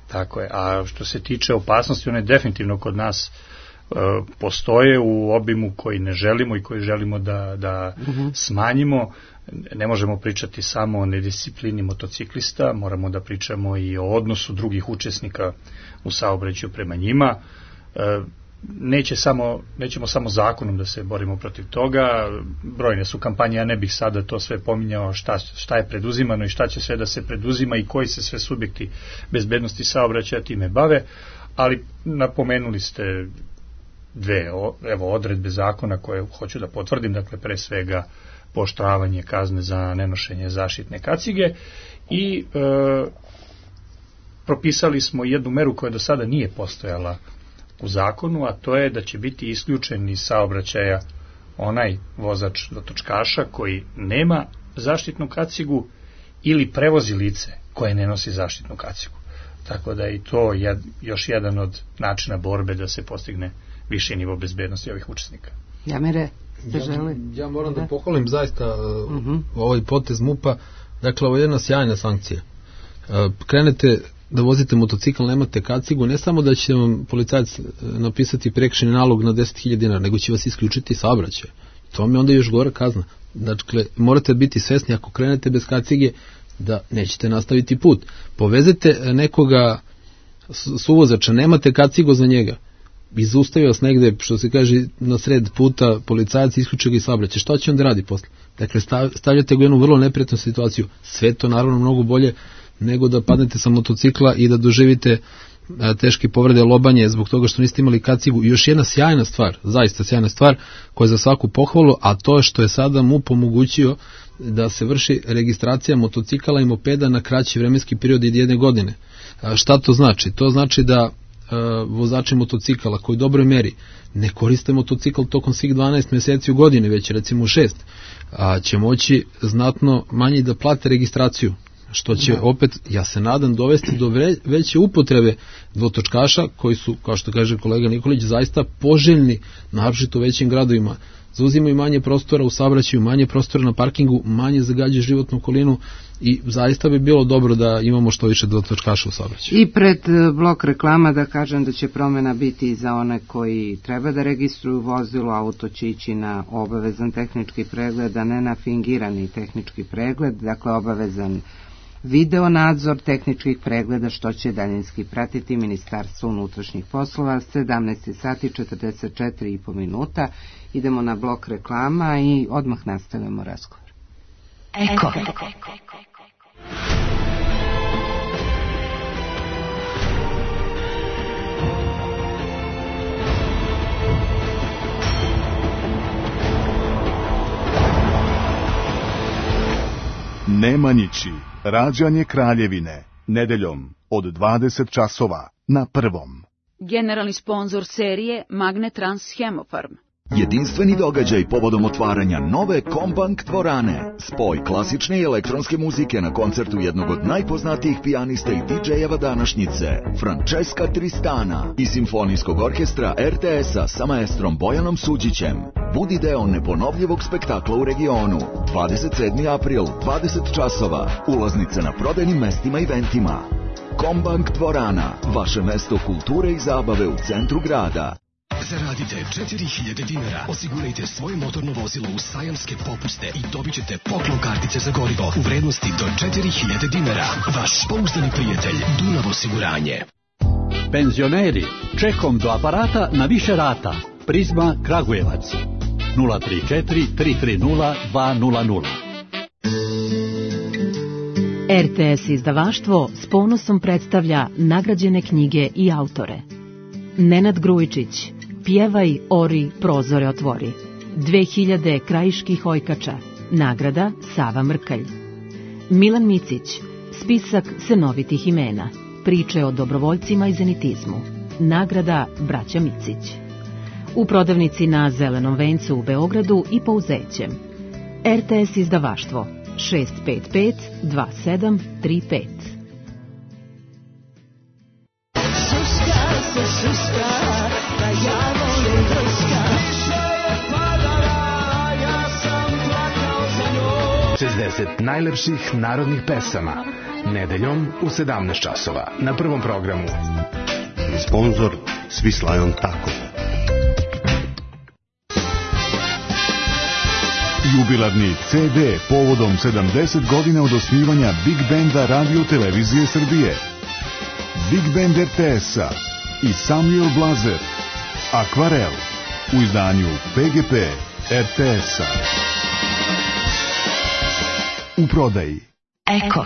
Tako je. A što se tiče opasnosti, one definitivno kod nas postoje u obimu koji ne želimo i koji želimo da smanjimo. Ne možemo pričati samo o nedisciplini motociklista, moramo da pričamo i o odnosu drugih učesnika u saobraćaju prema njima. Nećemo samo zakonom da se borimo protiv toga, brojne su kampanje, ja ne bih sada to sve pominjao šta je preduzimano i šta će sve da se preduzima i koji se sve subjekti bezbednosti saobraćaja time bave, ali napomenuli ste dve odredbe zakona koje hoću da potvrdim, dakle pre svega pooštravanje kazne za nenošenje zaštitne kacige i propisali smo jednu meru koja do sada nije postojala u zakonu, a to je da će biti isključen iz saobraćaja onaj vozač dotočkaša koji nema zaštitnu kacigu ili prevozi lice koje ne nosi zaštitnu kacigu. Tako da i to je još jedan od načina borbe da se postigne viši nivo bezbednosti ovih učesnika. Jamire, ste želi? Ja moram da pohvalim zaista ovaj potez MUP-a. Dakle, ovo je jedna sjajna sankcija. Krenete da vozite motocikl, nemate kacigu, ne samo da će vam policajac napisati prekršajni nalog na 10.000 dinara, nego će vas isključiti saobraćaj. To mi onda još gora kazna. Dakle, morate biti svesni ako krenete bez kacige da nećete nastaviti put. Povezete nekoga suvozača, nemate kacigu za njega, izustavi vas negde, što se kaže, na sred puta, policajac isključuje ga i saobraćaj. Šta će onda radi posle? Dakle, stavljate ga u jednu vrlo neprijatnu situaciju. Sve to naravno mnogo bolje nego da padnete sa motocikla i da doživite teške povrede, lobanje zbog toga što niste imali kacigu. I još jedna sjajna stvar, zaista sjajna stvar, koja je za svaku pohvalu, a to je što je sada MUP omogućio da se vrši registracija motocikala i mopeda na kraći vremenski period od 1 godine. Šta to znači? To znači da vozači motocikala koji u dobroj meri ne koriste motocikl tokom svih 12 meseci u godini, već recimo 6, će moći znatno manje da plate registraciju, što će opet, ja se nadam, dovesti do veće upotrebe dvotočkaša koji su, kao što kaže kolega Nikolić, zaista poželjni, naročito u većim gradovima. Zauzimaju manje prostora u saobraćaju, manje prostora na parkingu, manje zagađuje životnu okolinu i zaista bi bilo dobro da imamo što više dvotočkaša u saobraćaju. I pred blok reklama da kažem da će promjena biti i za one koji treba da registruju vozilo, auto će ići na obavezan tehnički pregled, a ne na fingirani tehnički pregled, dakle obavezan video nadzor tehničkih pregleda, što će daljinski pratiti Ministarstvo unutrašnjih poslova. 17 sati 44,5 minuta. Idemo na blok reklama i odmah nastavljamo razgovor. Eko. Nemanjići, rađanje Kraljevine, nedeljom od 20 časova na Prvom. Generalni sponzor serije Magnetrans Hemofarm. Jedinstveni događaj povodom otvaranja nove Kombank dvorane. Spoj klasične i elektronske muzike na koncertu jednog od najpoznatijih pijanista i DJ-eva današnjice, Francesca Tristana, i simfonijskog orkestra RTS-a sa maestrom Bojanom Suđićem. Budi deo neponovljivog spektakla u regionu. 27. april, 20 časova. Ulaznice na prodajnim mestima i eventima. Kombank dvorana, vaše mesto kulture i zabave u centru grada. Zaradite 4000 dinara, osigurajte svoje motorno vozilo u sajamske popuste i dobit ćete poklon kartice za gorivo u vrednosti do 4000 dinara. Vaš pouzdani prijatelj Dunav osiguranje. Penzioneri, čekom do aparata na više rata. Prizma Kragujevac 034 330 200. RTS izdavaštvo s ponosom predstavlja nagrađene knjige i autore. Nenad Grujičić, Pjevaj, ori, prozore otvori. 2000 krajiških ojkača. Nagrada Sava Mrkalj. Milan Micić, Spisak senovitih imena. Priče o dobrovoljcima i zenitizmu. Nagrada Braća Micić. U prodavnici na Zelenom vencu u Beogradu i po Uzećem. RTS izdavaštvo 655 2735. Najlepših narodnih pesama, nedeljom u 17 časova na Prvom programu. Sponzor Svislajon Tako. Jubilarni CD povodom 70 godina od osnivanja Big Banda Radio Televizije Srbije. Big Band RTS-a i Samuel Blazer, Akvarel, u izdanju PGP RTS-a. U prodaji. Eko.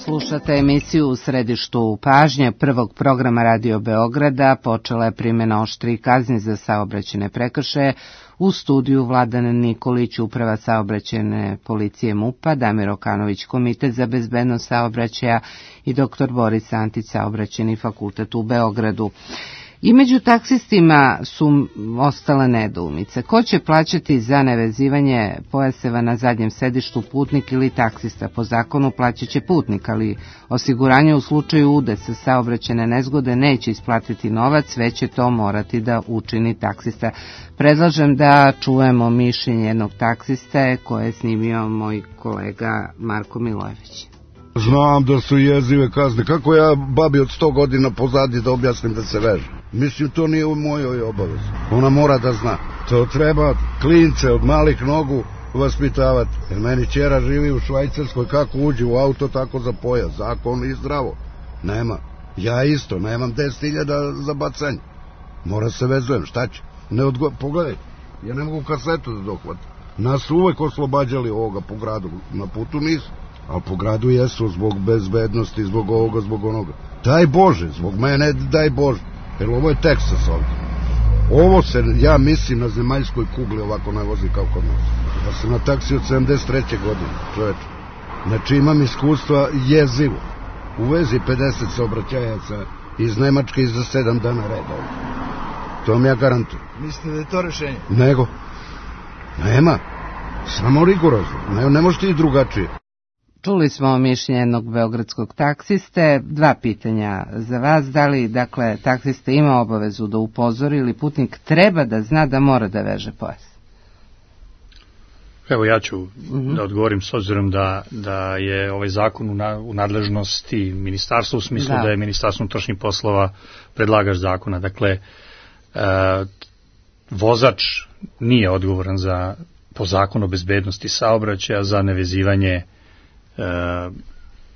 Slušate emisiju U središtu pažnje prvog programa Radio Beograda. Počela je primjena oštrih kazni za saobraćajne prekršaje. U studiju Vladan Nikolić, Uprava saobraćajne policije MUP-a, Damir Okanović, Komitet za bezbednost saobraćaja i dr. Boris Antić, Saobraćajni fakultet u Beogradu. I među taksistima su ostale nedoumice. Ko će plaćati za nevezivanje pojaseva na zadnjem sedištu, putnik ili taksista? Po zakonu plaćat će putnik, ali osiguranje u slučaju udesa saobraćajne nezgode neće isplatiti novac, već će to morati da učini taksista. Predlažem da čujemo mišljenje jednog taksiste koje je snimio moj kolega Marko Milojević. Znam da su jezive kazne. Kako ja babi od 100 godina pozadi da objasnim da se veže? Mislim, to nije u mojoj obavezi. Ona mora da zna. To treba klince od malih nogu vaspitavati. Jer meni ćera živi u Švajcarskoj, kako uđe u auto, tako za pojas. Zakon i zdravo. Nema. Ja isto, nemam 10.000 za bacanje. Mora se vezujem, šta će? Pogledaj, ja ne mogu kasetu da dohvatim. Nas su uvek oslobađali ovoga po gradu. Na putu nisu. Ali po gradu jesu zbog bezbednosti, zbog ovoga, zbog onoga. Daj Bože, zbog mene daj Bože. Jer ovo je Teksas ovdje. Ovo se, ja mislim, na zemaljskoj kugli ovako ne vozi kao kod nas. Ja sam na taksi od 73. godine, čoveče. Znači imam iskustva jezivo. U vezi 50 saobraćajaca iz Nemačke i za 7 dana reda. To vam ja garantujem. Mislite da je to rešenje? Nego. Nema. Samo rigorozno. Ne možete i drugačije. Čuli smo mišljenje jednog beogradskog taksiste. Dva pitanja za vas. Da li, dakle, taksista ima obavezu da upozori ili putnik treba da zna da mora da veže pojas? Evo ja ću da odgovorim s obzirom da je ovaj zakon u nadležnosti ministarstva u smislu da je Ministarstvo unutrašnjih poslova predlagač zakona. Dakle, vozač nije odgovoran po zakonu o bezbednosti saobraćaja za nevezivanje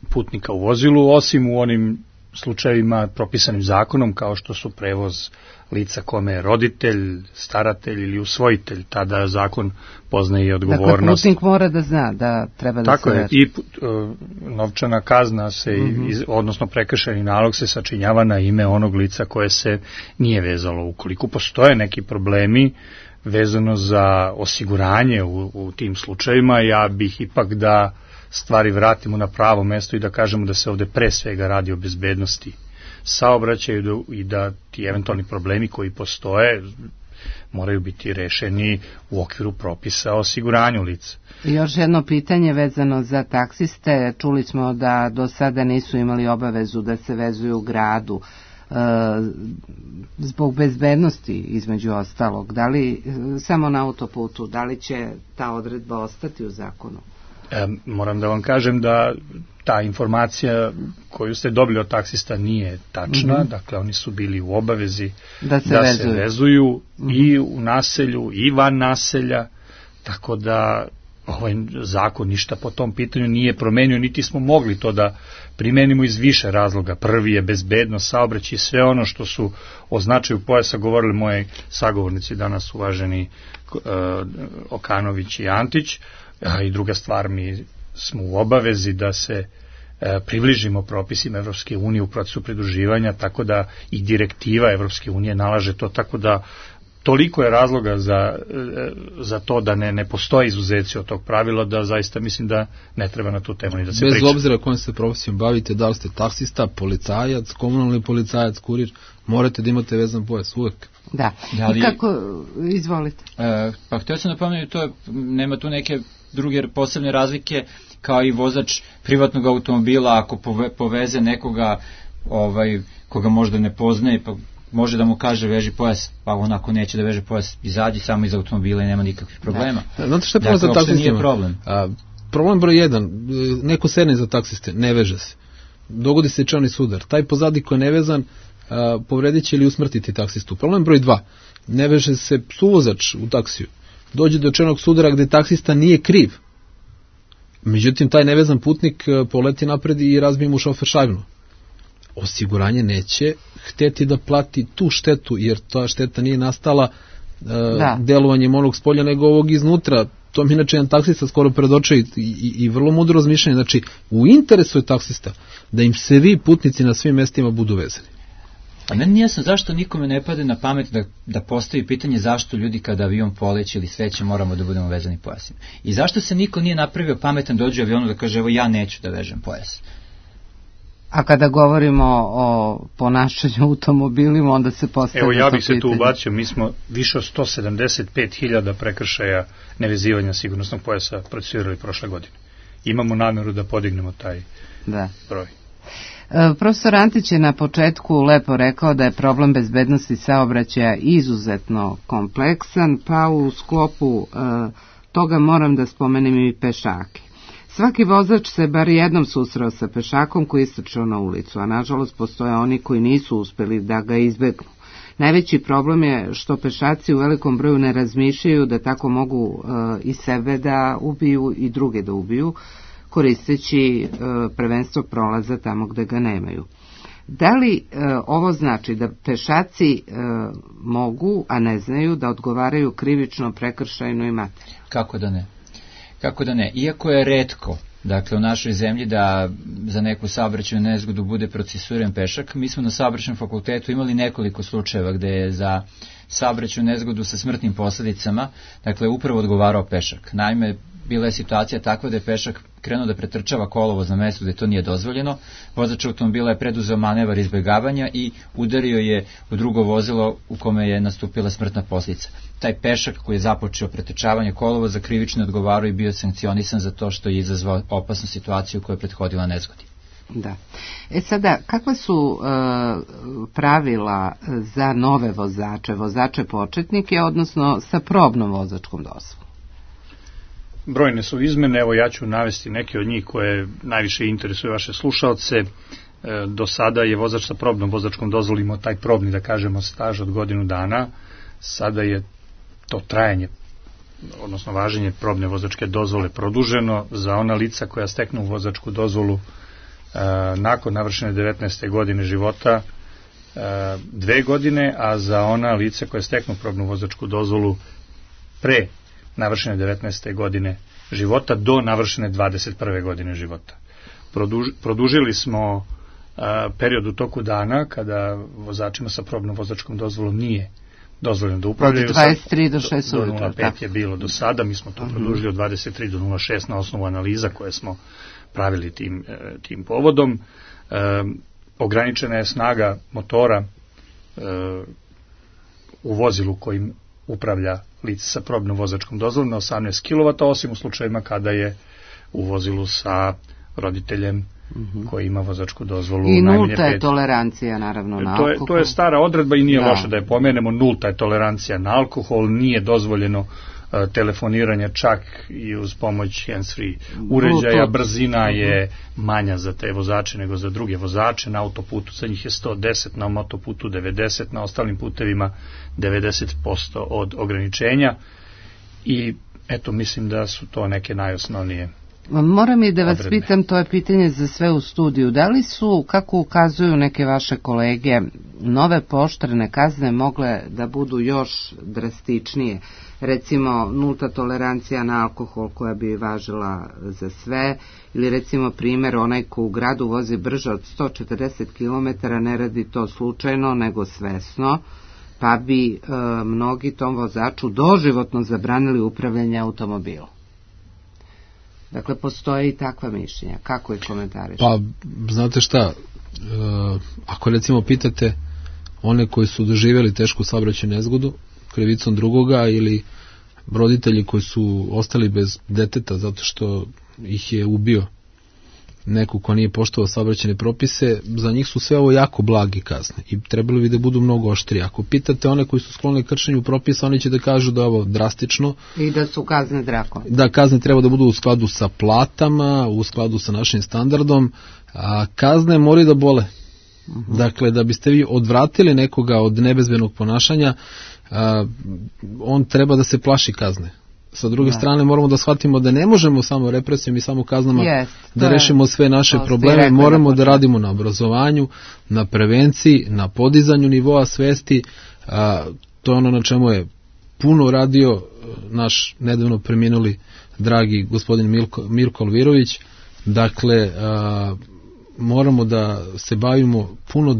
putnika u vozilu, osim u onim slučajevima propisanim zakonom kao što su prevoz lica kome je roditelj, staratelj ili usvojitelj, tada zakon poznaje i odgovornost. Dakle, putnik mora da zna da treba da se veže. Tako je, i novčana kazna se, odnosno prekršajni nalog se sačinjava na ime onog lica koje se nije vezalo. Ukoliko postoje neki problemi vezano za osiguranje u tim slučajevima, ja bih ipak da stvari vratimo na pravo mesto i da kažemo da se ovde pre svega radi o bezbednosti saobraćaju i da ti eventualni problemi koji postoje moraju biti rešeni u okviru propisa o osiguranju lica. I još jedno pitanje vezano za taksiste. Čuli smo da do sada nisu imali obavezu da se vezuju u gradu zbog bezbednosti između ostalog. Da li samo na autoputu, da li će ta odredba ostati u zakonu? Moram da vam kažem da ta informacija koju ste dobili od taksista nije tačna, dakle oni su bili u obavezi da se vezuju i u naselju i van naselja, tako da ovaj zakon ništa po tom pitanju nije promenio, niti smo mogli to da primenimo iz više razloga. Prvi je bezbednost saobraćaja i sve ono što su o značaju pojasa govorili moji sagovornici danas, uvaženi Okanović i Antić. I druga stvar, mi smo u obavezi da se približimo propisima Evropske unije u procesu pridruživanja, tako da i direktiva Evropske unije nalaže to, tako da toliko je razloga za to da ne postoje izuzeci od tog pravila, da zaista mislim da ne treba na tu temu ni da se priča. Bez obzira kojom se profesijom bavite, da li ste taksista, policajac, komunalni policajac, kurir, morate da imate vezan pojas uvek. Da, i kako, izvolite. Pa htio sam napomenuti to, nema tu neke druge posebne razlike, kao i vozač privatnog automobila, ako poveze nekoga koga možda ne poznaje, pa može da mu kaže veži pojas, pa onako neće da veže pojas, izađi samo iz automobila i nema nikakvih problema. Znate što je problem za taksistima? Problem broj 1, neko sedne za taksiste, ne veže se. Dogodi se čelni sudar. Taj pozadi ko je nevezan, povredit će ili usmrtiti taksistu. Problem broj 2, ne veže se suvozač u taksiju. Dođe do čelnog sudara gde taksista nije kriv. Međutim, taj nevezan putnik poleti napred i razbije mu šofer šajbnu. Osiguranje neće hteti da plati tu štetu, jer ta šteta nije nastala delovanjem onog spolja, nego ovog iznutra. To mi inače jedan taksista skoro predoče i vrlo mudro razmišljanje. Znači, u interesu je taksista da im se vi putnici na svim mestima budu vezani. A meni nije jasno zašto nikome ne pade na pamet da postavi pitanje zašto ljudi kada avion poleće ili sveće moramo da budemo vezani pojasima. I zašto se niko nije napravio pametan dođe u avionu da kaže evo ja neću da vežem pojas. A kada govorimo o ponašanju automobilima, onda se postavlja to pitanje. Evo ja bih se tu ubacio, mi smo više od 175.000 prekršaja nevezivanja sigurnosnog pojasa procesuirali prošle godine. Imamo nameru da podignemo taj broj. Profesor Antić je na početku lepo rekao da je problem bezbednosti saobraćaja izuzetno kompleksan, pa u sklopu toga moram da spomenem i pešake. Svaki vozač se bar jednom susreo sa pešakom koji je istrčao na ulicu, a nažalost postoje oni koji nisu uspeli da ga izbegnu. Najveći problem je što pešaci u velikom broju ne razmišljaju da tako mogu i sebe da ubiju i druge da ubiju, koristeći prvenstvo prolaza tamo gde ga nemaju. Da li ovo znači da pešaci mogu, a ne znaju, da odgovaraju krivično, prekršajno i materijalno? Kako da ne? Kako da ne? Iako je retko, dakle, u našoj zemlji da za neku saobraćajnu nezgodu bude procesuiran pešak, mi smo na saobraćajnom fakultetu imali nekoliko slučajeva gde je za saobraćajnu nezgodu sa smrtnim posledicama, dakle, upravo odgovarao pešak. Naime, bila je situacija takva da je pešak krenuo da pretrčava kolovoz na mestu gde to nije dozvoljeno, vozač automobila je preduzeo manevar izbegavanja i udario je u drugo vozilo u kome je nastupila smrtna posljedica. Taj pešak koji je započeo pretrčavanje kolovoza krivično odgovarao i bio sankcionisan za to što je izazvao opasnu situaciju koja je prethodila nezgodi. Da. Sada, kakva su pravila za nove vozače početnike, odnosno sa probnom vozačkom dozvolom? brojne su izmene, evo ja ću navesti neke od njih koje najviše interesuju vaše slušaoce. Do sada je vozač sa probnom vozačkom dozvolom imao taj probni, da kažemo, staž od godinu dana. Sada je to trajanje, odnosno važenje probne vozačke dozvole produženo za ona lica koja steknu vozačku dozvolu nakon navršene 19. godine života 2 godine, a za ona lica koja steknu probnu vozačku dozvolu pre navršene 19. godine života do navršene 21. godine života. Produžili smo period u toku dana kada vozačima sa probnom vozačkom dozvolom nije dozvoljeno da upravljaju. Od 23 do 6 do 0,5 je bilo do sada, mi smo to produžili od 23 do 0,6 na osnovu analiza koje smo pravili tim povodom. Ograničena je snaga motora u vozilu kojim upravlja lice sa probnom vozačkom dozvolom na 18 kW, osim u slučajevima kada je u vozilu sa roditeljem koji ima vozačku dozvolu i najmanje 5. I nulta je tolerancija naravno na alkohol. To je stara odredba i nije loše da je pomenemo, nulta je tolerancija na alkohol, nije dozvoljeno telefoniranje čak i uz pomoć hands-free uređaja, brzina je manja za te vozače nego za druge vozače, na autoputu za njih je 110, na motoputu 90, na ostalim putevima 90% od ograničenja i eto mislim da su to neke najosnovnije. Moram i da vas pitam, to je pitanje za sve u studiju, da li su, kako ukazuju neke vaše kolege, nove pooštrene kazne mogle da budu još drastičnije? Recimo nulta tolerancija na alkohol koja bi važila za sve, ili recimo primjer onaj ko u gradu vozi brže od 140 km ne radi to slučajno nego svesno, pa bi mnogi tom vozaču doživotno zabranili upravljanje automobilom. Dakle, postoje i takva mišljenja. Kako ih komentariš? Pa, znate šta, ako recimo pitate one koji su doživjeli tešku saobraćajnu nezgodu krivicom drugoga ili roditelji koji su ostali bez deteta zato što ih je ubio neko ko nije poštovao saobraćajne propise, za njih su sve ovo jako blagi kazne i trebalo bi da budu mnogo oštrije. Ako pitate one koji su skloni kršenju propisa, oni će da kažu da je ovo drastično. I da su kazne drakon. Da, kazne treba da budu u skladu sa platama, u skladu sa našim standardom, a kazne moraju da bole. Dakle, da biste vi odvratili nekoga od nebezbednog ponašanja, on treba da se plaši kazne. Sa druge strane moramo da shvatimo da ne možemo samo represijom i samo kaznama da rešimo sve naše probleme, moramo da radimo na obrazovanju, na prevenciji, na podizanju nivoa svesti, to je ono na čemu je puno radio naš nedavno preminuli dragi gospodin Mirko Alvirović. Dakle, moramo da se bavimo puno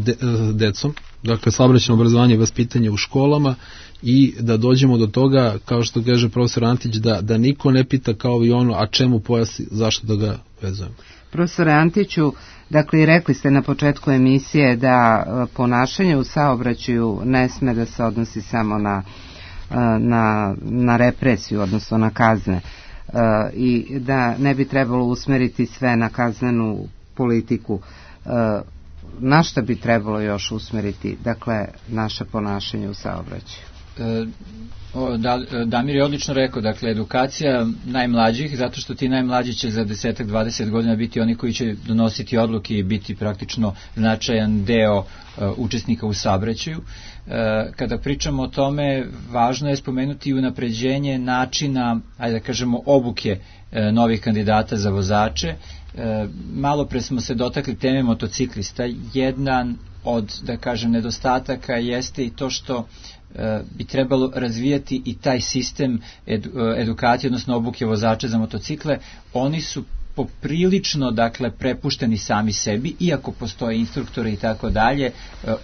decom, dakle saobraćajno obrazovanje i vaspitanje u školama i da dođemo do toga, kao što kaže profesor Antić, da niko ne pita kao i ono, a čemu pojas, zašto da ga vezujemo. Profesore Antiću, dakle i rekli ste na početku emisije da ponašanje u saobraćaju ne sme da se odnosi samo na represiju, odnosno na kazne i da ne bi trebalo usmeriti sve na kaznenu politiku. Na šta bi trebalo još usmeriti, dakle, naše ponašanje u saobraćaju? Damir je odlično rekao, dakle, edukacija najmlađih, zato što ti najmlađi će za 10-20 godina biti oni koji će donositi odluke i biti praktično značajan deo učesnika u saobraćaju. Kada pričamo o tome, važno je spomenuti i unapređenje načina, ajde da kažemo, obuke novih kandidata za vozače. Malo pre smo se dotakli teme motociklista. Jedan od, da kažem, nedostataka jeste i to što bi trebalo razvijati i taj sistem edukacije, odnosno obuke vozača za motocikle. Oni su poprilično, dakle, prepušteni sami sebi, iako postoje instruktori i tako dalje,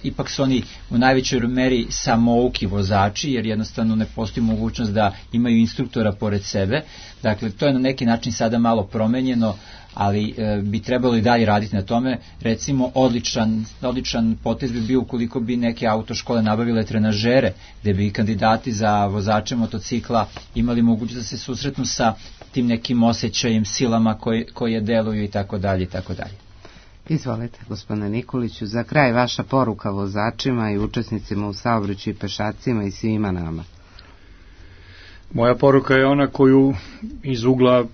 ipak su oni u najvećoj meri samouki vozači, jer jednostavno ne postoji mogućnost da imaju instruktora pored sebe. Dakle, to je na neki način sada malo promenjeno, ali bi trebalo i dalje raditi na tome. Recimo, odličan potez bi bio ukoliko bi neke autoškole nabavile trenažere, gde bi kandidati za vozače motocikla imali mogućnost da se susretnu sa tim nekim osjećajem, silama koje deluju i tako dalje i tako dalje. Izvolite, gospodine Nikoliću, za kraj vaša poruka vozačima i učesnicima u saobraćaju i pešacima i svima nama. Moja poruka je ona koju iz ugla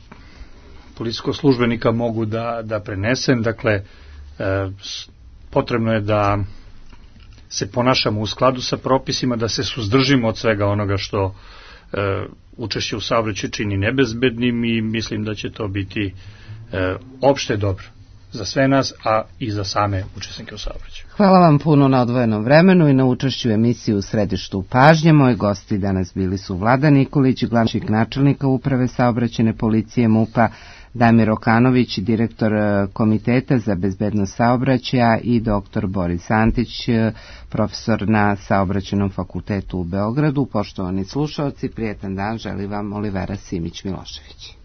policijskog službenika mogu da prenesem. Dakle, potrebno je da se ponašamo u skladu sa propisima, da se suzdržimo od svega onoga što učešće u saobraćaju čini nebezbednim i mislim da će to biti opšte dobro za sve nas, a i za same učesnike u saobraćaju. Hvala vam puno na odvojenom vremenu i na učešću u emisiji U središtu pažnje. Moji gosti danas bili su Vlada Nikolić, glavni načelnika Uprave saobraćajne policije MUP-a, Damir Okanović, direktor Komiteta za bezbednost saobraćaja i dr. Boris Antić, profesor na Saobraćajnom fakultetu u Beogradu. Poštovani slušaoci, prijetan dan želi vam Olivera Simić-Milošević.